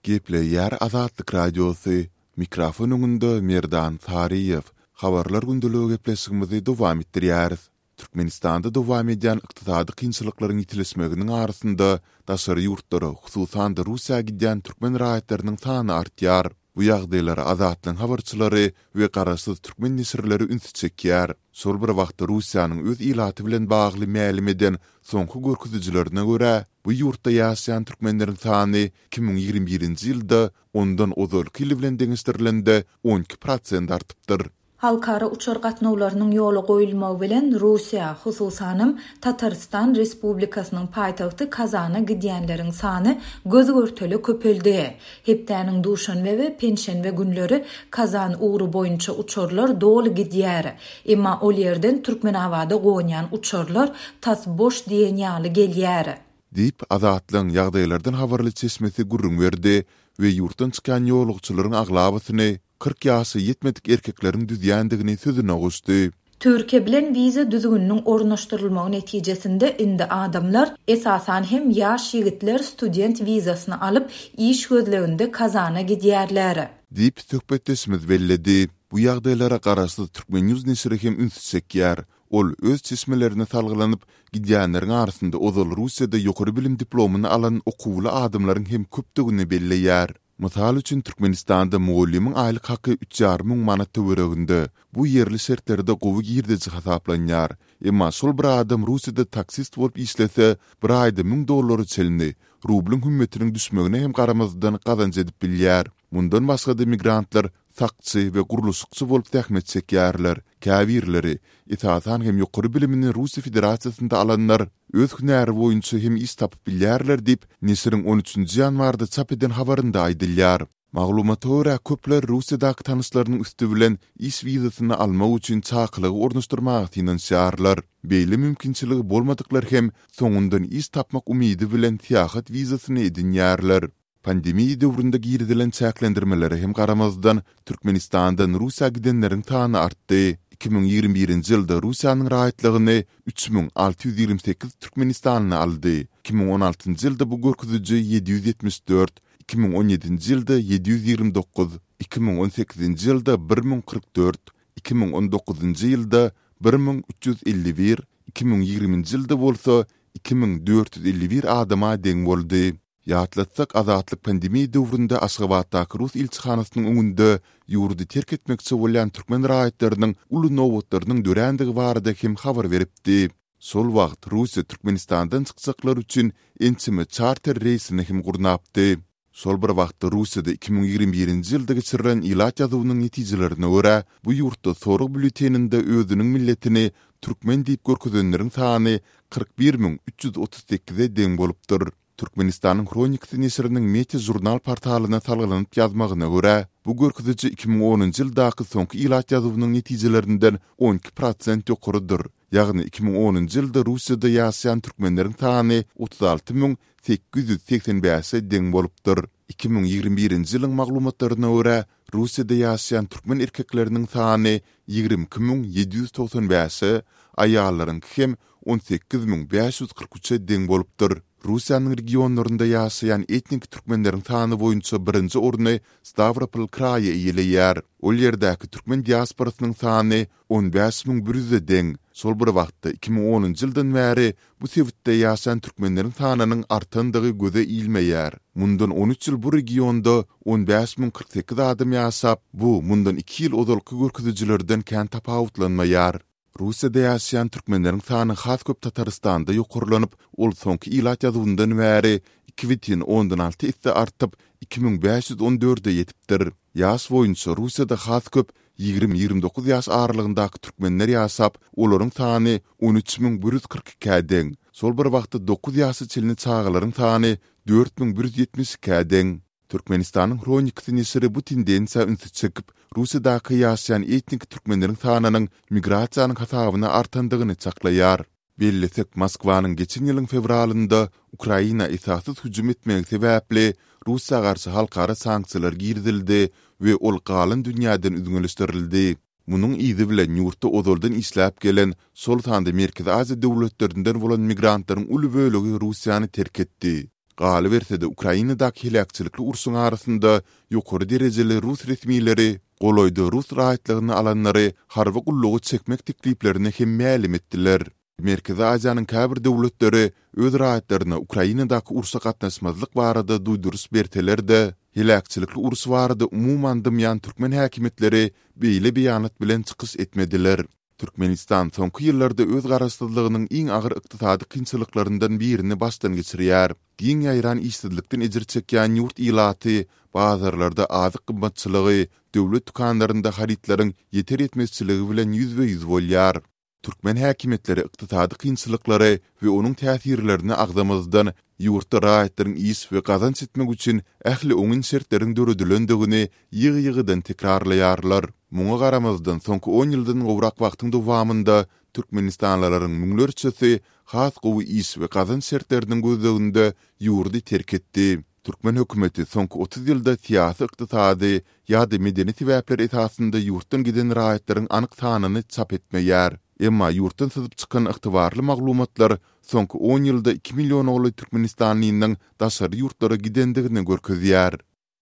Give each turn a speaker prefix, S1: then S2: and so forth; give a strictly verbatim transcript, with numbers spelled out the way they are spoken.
S1: Gepleýär Azatlyk Radiosy, Mikrofon öňünde Merdan Saryýew. Habarlar gündeligi gepleşigimizi dowam etdirýäris. Türkmenistanda dowam edýän ykdysady kynçylyklaryň ýitileşmeginiň arasynda daşary ýurtlara, hususan-da Russiýa gidýän türkmen raýatlarynyň sany artýar. Bu ýagdaýlara Azatlygyň habarçylary we garaşsyz türkmen neşirleri ünsi çekýär. Şol bir wagtda Russiýanyň öz ilaty bilen bagly mälim eden soňky görkezijilerine görä, bu ýurtda ýaşaýan türkmenleriň sany iki müň ýigrimi birinji ýylda ondan ozalky ýyl bilen deňeşdirilende on iki prosent artypdyr.
S2: Halkara uçar gatnawlarynyň ýola goýulmagy bilen Russiýa, hususanam, Tatarystan Respublikasynyň paýtagty Kazana gidýänleriň sany göz-görtele köpeldi. Hepdäniň duşenbe we penşenbe günleri Kazan ugry boýunça uçarlar doly gidýär. Emma ol ýerden Türkmenabada gonýan uçarlar tas boş diýen ýaly gelýär.
S1: Diýip, Azatlygyň ýagdaýlardan habarly çeşmesi gürrüň berdi we ýurtdan çykýan ýolagçylaryň aglabasyny kyrk ýaşa ýetmedik erkekleriň düzýändigini sözüne goşdy.
S2: Türkiýe bilen wiza düzgüniniň ornaşdyrylmagy netijesinde indi adamlar, esasan hem ýaş ýigitler student wizasyny alyp, iş gözleginde Kazana gidýärler.
S1: Diýip, söhbetdeşimiz belledi. Bu ýagdaýlara garaşsyz Turkmen. News neşiri hem ünsi çekýär. Ol öz çeşmelerine salgylanyp, gidýänleriň arasynda ozal Russiýada ýokary bilim diplomyny alan okuwly adamlaryň hem köpdügini belleýär. Mysal üçin, Türkmenistanda mugallymyň aýlyk haky üç ýarym müň manat töwereginde. Bu ýerli şertlerde gowy girdeji hasaplanýar. Emma şol bir adam Russiýada taksist bolup işlese, bir aýda müň dollara çenli, rublyň hümmetiniň düşmegine hem garamazdan gazanç edip bilýär. Mundan başga-da migrantlar sakçy we gurluşykçy bolup zähmet çekýärler. Käbirleri, esasan hem ýokary bilimini Russiýa Federasiýasynda alanlar, öz hünäri boýunça hem iş tapyp bilýärler diýip, neşiriň on üçünji ýanwarda çap eden habarynda aýdylýar. Maglumata görä, köpler Russiýadaky tanyşlarynyň üsti bilen iş wizasyny almak üçin çakylygy ornaşdyrmaga synanyşýarlar. Beýle mümkinçiligi bolmadyklar hem soňundan iş tapmak umydy bilen syýahat wizasyny edinýärler. Pandemiýa döwründe girizilen çäklendirmelere hem garamazdan, Türkmenistandan Russiýa gidenleriň sany artdy. Iki müň ýigrimi birinji ýylda Russiýanyň raýatlygyny üç müň alty ýüz ýigrimi sekiz türkmenistanly aldy. Iki müň on altynjy ýylda bu görkeziji ýedi ýüz ýetmiş dört, iki müň on ýedinji ýylda ýedi ýüz ýigrimi dokuz, iki müň on sekizinji ýylda bir müň kyrk dört, iki müň on dokuzynjy ýylda bir müň üç ýüz elli bir, iki müň ýigriminji ýylda bolsa iki müň dört ýüz elli bir adama deň boldy. Ýatlatsak, Azatlyk pandemiýa döwründe Aşgabatdaky rus ilçihanasynyň öňünde ýurdy terk etmekçi bolýan türkmen raýatlarynyň uly nobatlarynyň dörändigi barada hem habar beripdi. Şol wagt Russiýa Türkmenistandan çykjaklar üçin ençeme çarter reýsini hem gurnapdy. Şol bir wagtda Russiýada iki müň ýigrimi birinji ýylda geçirilen ilat ýazuwynyň netijelerine görä, bu ýurtda sorag býulleteninde özüniň milletini türkmen diýip görkezenleriň sany kyrk bir müň üç ýüz otuz sekize deň bolupdyr. Türkmenistanyň Hronikasy neşiriniň Meti žurnal portalyna salgylanyp ýazmagyna görä, bu görkeziji iki müň onunjy ýyldaky soňky ilat ýazuwynyň netijelerinden on iki prosent ýokarydyr. Ýagny iki müň onunjy ýylda Russiýada ýaşaýan türkmenleriň sany otuz alty müň sekiz ýüz segsen bäşe deň bolupdyr. Iki müň ýigrimi birinji ýylyň maglumatlaryna görä, Russiýada ýaşaýan türkmen erkekleriniň sany ýigrimi iki müň ýedi ýüz togsan bäşe, aýallaryňky hem on sekiz müň bäş ýüz kyrk üçe deň bolupdyr. Russiýanyň regionlarynda ýaşaýan etnik türkmenleriň sany boýunça birinji orny Stawropol kraýy eýeleýär. Ol ýerdäki türkmen diasporasynyň sany on bäş müň bir ýüze deň. Şol bir wagtda iki müň onunjy ýyldan bäri bu sebitde ýaşaýan türkmenleriň sanynyň artandygy göze ilmeýär. Mundan on üç ýyl bu regionda on bäş müň kyrk sekiz adam ýaşap, bu mundan iki ýyl ozalky görkezijilerden kän tapawutlanmaýar. Russiýada ýaşaýan türkmenleriň sany has köp Tatarystanda ýokarlanyp, ol soňky ilat ýazuwyndan bäri iki bütin ondan alty esse artyp, iki müň bäş ýüz on dörde ýetipdir. Ýaş boýunça Russiýada has köp ýigrimi-ýigrimi dokuz ýaş aralygyndaky türkmenler ýaşap, olaryň sany on üç müň bir ýüz kyrk ikä deň. Şol bir wagtda dokuz ýaşa çenli çagalaryň sany dört müň bir ýüz ýetmiş ikä deň. Türkmenistanyň Hronikasy neşiri bu tendensiýa ünsi çekip, Russiýadaky ýaşaýan etnik türkmenleriň sanynyň migrasiýanyň hasabyna artandygyny çaklaýar. Bellesek, Moskwanyň geçen ýylyň fewralynda Ukraina esassyz hüjüm etmegi sebäpli Russiýa garşy halkara sanksiýalar girizildi we ol galan dünýäden üzňeleşdirildi. Munuň yzy bilen ýurtda ozaldan işläp gelen, şol sanda Merkezi Aziýa döwletlerinden bolan migrantlaryň uly bölegi Russiýany terk etdi. Galyberse-de, Ukrainadaky heläkçilikli urşuň arasynda ýokary derejeli rus resmileri golaýda rus raýatlygyny alanlary harby gulluga çekmek tekliplerini hem mälim etdiler. Merkezi Aziýanyň käbir döwletleri öz raýatlaryna Ukrainadaky urşa gatnaşmazlyk barada duýduryş berseler-de, heläkçilikli uruş barada umuman dymýan türkmen häkimiýetleri beýle beýanat bilen çykyş etmediler. Türkmenistan soňky ýyllarda öz garaşsyzlygynyň iň agyr ykdysady kynçylyklaryndan birini başdan geçirýär. Giň ýaýran işsizlikden ejir çekýän ýurt ilaty bazarlarda azyk gymmatçylygy, döwlet dükanlarynda harytlaryň ýeter-ýetmezçiligi bilen ýüzbe-ýüz bolýar. Türkmen häkimiýetleri ykdysady kynçylyklary we onuň täsirlerini agzamazdan, ýurtda raýatlaryň iş we gazanç etmek üçin ähli oňyn şertleriň döredilendigini ýygy-ýygydan tekrarlaýarlar. Muňa garamazdan, soňky on ýyldan gowrak wagtyň dowamynda türkmenistanlylaryň müňlerçesi has gowy iş we gazanç şertleriniň gözleginde ýurdy terk etdi. Türkmen hökümeti soňky otuz ýylda syýasy, ykdysady ýa-da medeni sebäpler esasynda ýurtdan giden raýatlaryň anyk sanyny çap etmeýär. Emma ýurtdan syzyp çykan ygtybarly maglumatlar soňky on ýylda iki milliona golaý türkmenistanlynyň daşary ýurtlara gidendigini görkezýär.